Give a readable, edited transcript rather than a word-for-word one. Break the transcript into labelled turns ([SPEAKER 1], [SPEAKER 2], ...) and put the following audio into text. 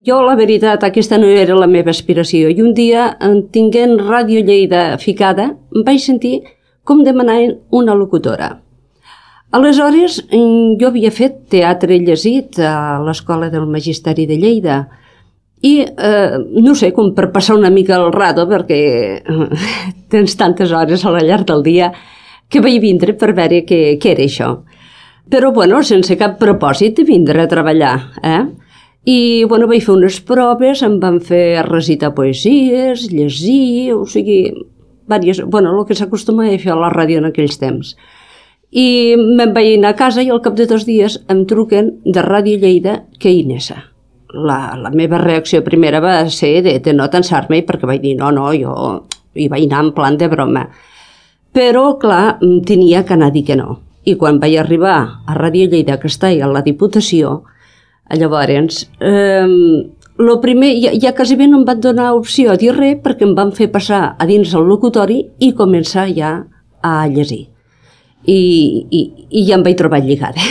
[SPEAKER 1] Jo, la veritat, aquesta no era la meva aspiració. I un dia, tinguent Ràdio Lleida ficada, em vaig sentir com demanar una locutora. Aleshores, jo havia fet teatre llegit a l'Escola del Magisteri de Lleida i, no sé, com per passar una mica el rato, perquè tens tantes hores a la llarg del dia, que vaig vindre per veure què era això. Però, bueno, sense cap propòsit de vindre a treballar, I, bueno, vaig fer unes proves, em van fer recitar poesies, llegir, o sigui, bueno, el que s'acostuma a fer a la ràdio en aquells temps. I me'n vaig anar a casa i al cap de 2 dies em truquen de Ràdio Lleida que Inesa. La meva reacció primera va ser de no tensar-me, perquè vaig dir, no, jo hi vaig anar en plan de broma. Però, clar, tenia que anar a dir que no. I quan vaig arribar a Ràdio Lleida, que està a la Diputació, llavors, el primer, ja quasi bé no em van donar opció a dir res perquè em van fer passar a dins el locutori i començar ja a llegir. I ja em vaig trobar lligada.